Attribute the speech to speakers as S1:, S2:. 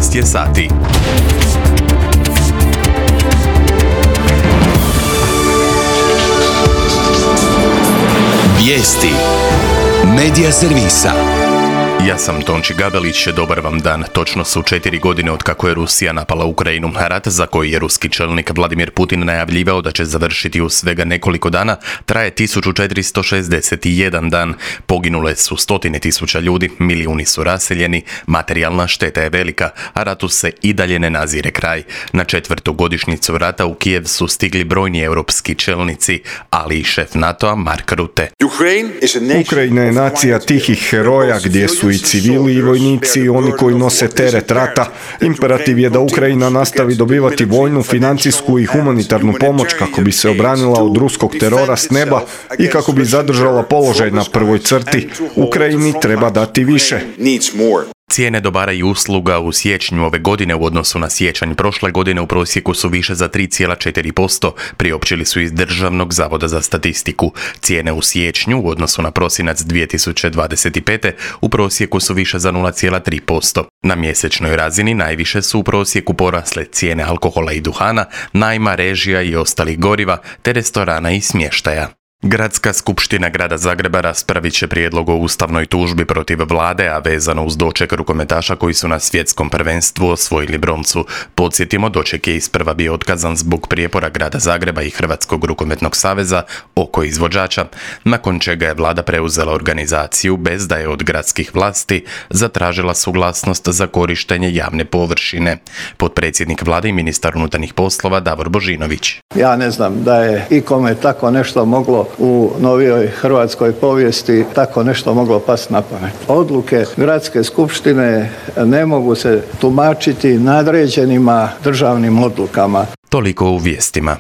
S1: 12 je sati.
S2: Vijesti Medija servisa.
S1: Ja sam Tonči Gabelić, dobar vam dan. Točno su 4 godine od kako je Rusija napala Ukrajinu. Rat za koji je ruski čelnik Vladimir Putin najavljivao da će završiti u svega nekoliko dana, traje 1461 dan. Poginule su stotine tisuća ljudi, milijuni su raseljeni, materijalna šteta je velika, a ratu se i dalje ne nazire kraj. Na 4. godišnjicu rata u Kijev su stigli brojni europski čelnici, ali i šef NATO-a Mark Rutte.
S3: Ukrajina je nacija tihih heroja gdje su i civili i vojnici i oni koji nose teret rata. Imperativ je da Ukrajina nastavi dobivati vojnu, financijsku i humanitarnu pomoć kako bi se obranila od ruskog terora s neba i kako bi zadržala položaj na prvoj crti. Ukrajini treba dati više.
S1: Cijene dobara i usluga u siječnju ove godine u odnosu na siječanj prošle godine u prosjeku su više za 3,4%, priopćili su iz Državnog zavoda za statistiku. Cijene u siječnju u odnosu na prosinac 2025. u prosjeku su više za 0,3%. Na mjesečnoj razini najviše su u prosjeku porasle cijene alkohola i duhana, najma, režija i ostalih goriva, te restorana i smještaja. Gradska skupština grada Zagreba raspravit će prijedlog o ustavnoj tužbi protiv vlade, a vezano uz doček rukometaša koji su na svjetskom prvenstvu osvojili broncu. Podsjetimo, doček je isprva bio otkazan zbog prijepora grada Zagreba i Hrvatskog rukometnog saveza oko izvođača, nakon čega je vlada preuzela organizaciju bez da je od gradskih vlasti zatražila suglasnost za korištenje javne površine. Potpredsjednik vlade i ministar unutarnjih poslova Davor Božinović.
S4: Ja ne znam da je ikome tako nešto moglo u novijoj hrvatskoj povijesti tako nešto moglo pasti na pamet. Odluke gradske skupštine ne mogu se tumačiti nadređenima državnim odlukama.
S1: Toliko u vijestima.